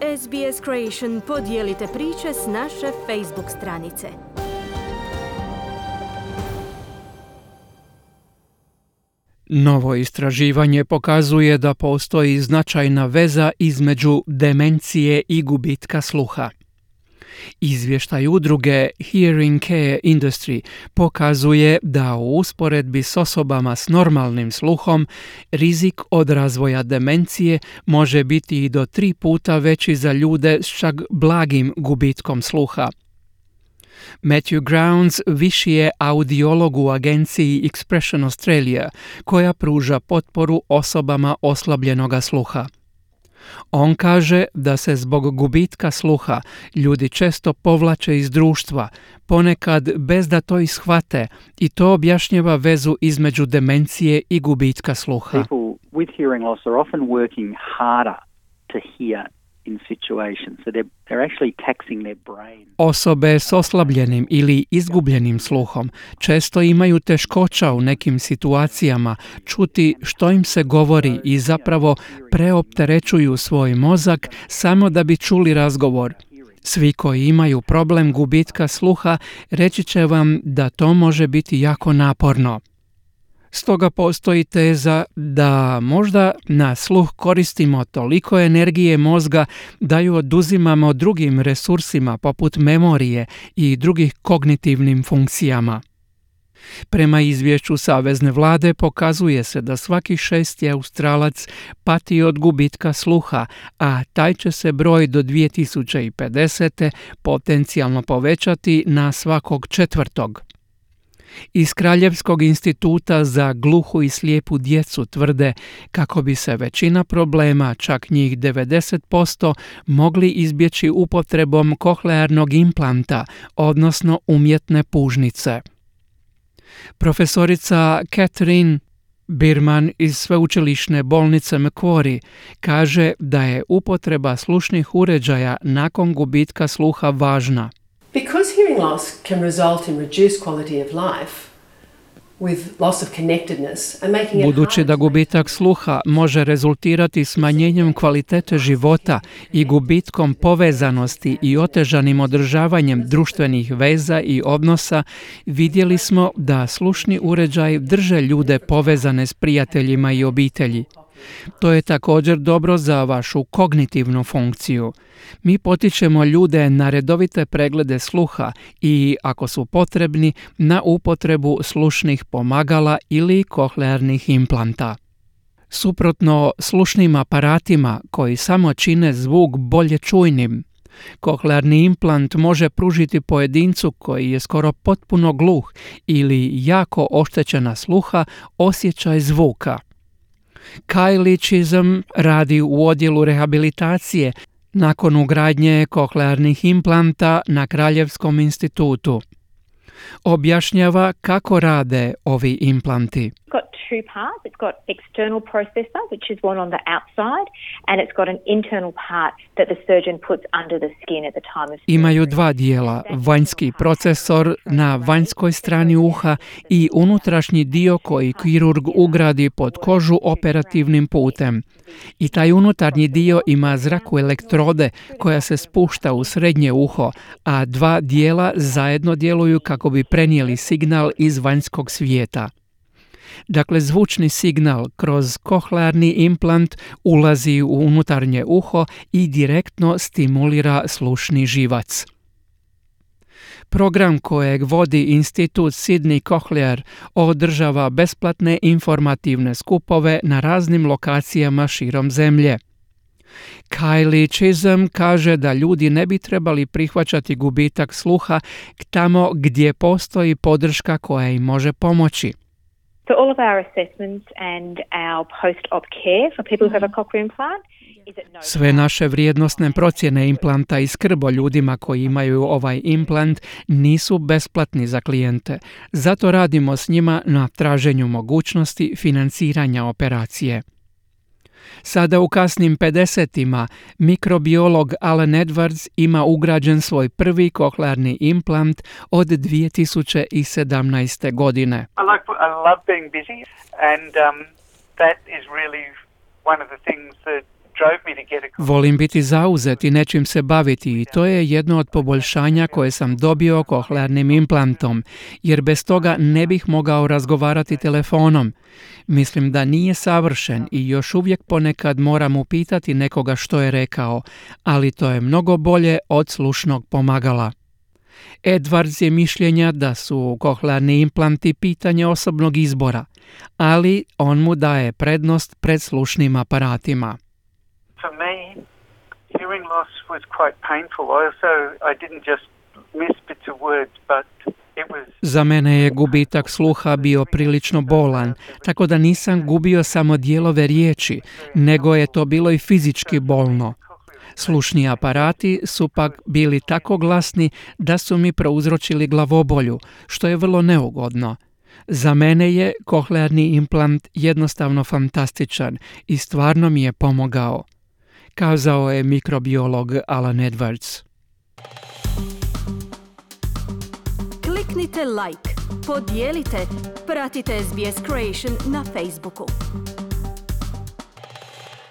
SBS Creation podijelite priče s naše Facebook stranice. Novo istraživanje pokazuje da postoji značajna veza između demencije i gubitka sluha. Izvještaj udruge Hearing Care Industry pokazuje da u usporedbi s osobama s normalnim sluhom rizik od razvoja demencije može biti i do 3 puta veći za ljude s čak blagim gubitkom sluha. Matthew Grounds viši je audiolog u agenciji Expression Australia, koja pruža potporu osobama oslabljenoga sluha. On kaže da se zbog gubitka sluha ljudi često povlače iz društva, ponekad bez da to ishvate, i to objašnjava vezu između demencije i gubitka sluha. People with hearing loss are often working harder to hear in situations, so they're actually taxing their brain. Osobe s oslabljenim ili izgubljenim sluhom često imaju teškoća u nekim situacijama čuti što im se govori i zapravo preopterećuju svoj mozak samo da bi čuli razgovor. Svi koji imaju problem gubitka sluha reći će vam da to može biti jako naporno. Stoga postoji teza da možda na sluh koristimo toliko energije mozga da ju oduzimamo drugim resursima poput memorije i drugih kognitivnim funkcijama. Prema izvješću Savezne vlade pokazuje se da svaki 6. Australac pati od gubitka sluha, a taj će se broj do 2050. potencijalno povećati na svakog 4. Iz Kraljevskog instituta za gluhu i slijepu djecu tvrde kako bi se većina problema, čak njih 90%, mogli izbjeći upotrebom kohlearnog implanta, odnosno umjetne pužnice. Profesorica Catherine Birman iz sveučilišne bolnice Macquarie kaže da je upotreba slušnih uređaja nakon gubitka sluha važna. Because hearing loss can result in reduced quality of life, with loss of connectedness and making it Budući da gubitak sluha može rezultirati smanjenjem kvalitete života i gubitkom povezanosti i otežanim održavanjem društvenih veza i odnosa, vidjeli smo da slušni uređaji drže ljude povezane s prijateljima i obitelji. To je također dobro za vašu kognitivnu funkciju. Mi potičemo ljude na redovite preglede sluha i, ako su potrebni, na upotrebu slušnih pomagala ili kohlearnih implanta. Suprotno slušnim aparatima koji samo čine zvuk bolje čujnim, kohlearni implant može pružiti pojedincu koji je skoro potpuno gluh ili jako oštećena sluha osjećaj zvuka. Kylie Chisholm radi u odjelu rehabilitacije nakon ugradnje kohlearnih implanta na Kraljevskom institutu. Objašnjava kako rade ovi implanti. It's got 2 parts. It's got external processor, which is one on the outside, and it's got an internal part that the surgeon puts under the skin at the time of surgery. Imaju 2 dijela, vanjski procesor na vanjskoj strani uha i unutrašnji dio koji kirurg ugradi pod kožu operativnim putem. I taj unutarnji dio ima zraku elektrode koja se spušta u srednje uho, a 2 dijela zajedno djeluju kako bi prenijeli signal iz vanjskog svijeta. Dakle, zvučni signal kroz kohlearni implant ulazi u unutarnje uho i direktno stimulira slušni živac. Program kojeg vodi institut Sydney Cochlear održava besplatne informativne skupove na raznim lokacijama širom zemlje. Kylie Chisholm kaže da ljudi ne bi trebali prihvaćati gubitak sluha tamo gdje postoji podrška koja im može pomoći. So all of our assessments and our post-op care for people who have a cochlear implant is at no Sve naše vrijednosne procjene implanta i skrb o ljudima koji imaju ovaj implant nisu besplatni za klijente. Zato radimo s njima na traženju mogućnosti financiranja operacije. Sada u kasnim 50-ima mikrobiolog Alan Edwards ima ugrađen svoj prvi kohlearni implant od 2017. godine. I love being busy, and that is really one of the things that drove me to get a Volim biti zauzet i nečim se baviti i to je jedno od poboljšanja koje sam dobio kohlearnim implantom, jer bez toga ne bih mogao razgovarati telefonom. Mislim da nije savršen i još uvijek ponekad moram upitati nekoga što je rekao, ali to je mnogo bolje od slušnog pomagala. Edwards je mišljenja da su kohlearni implanti pitanje osobnog izbora, ali on mu daje prednost pred slušnim aparatima. For me, hearing loss was quite painful. I didn't just miss bits of words, but it was... Za mene je gubitak sluha bio prilično bolan, tako da nisam gubio samo dijelove riječi, nego je to bilo i fizički bolno. Slušni aparati su pak bili tako glasni da su mi prouzročili glavobolju, što je vrlo neugodno. Za mene je kohlearni implant jednostavno fantastičan i stvarno mi je pomogao, kazao je mikrobiolog Alan Edwards. Kliknite like, podijelite, pratite SBS Creation na Facebooku.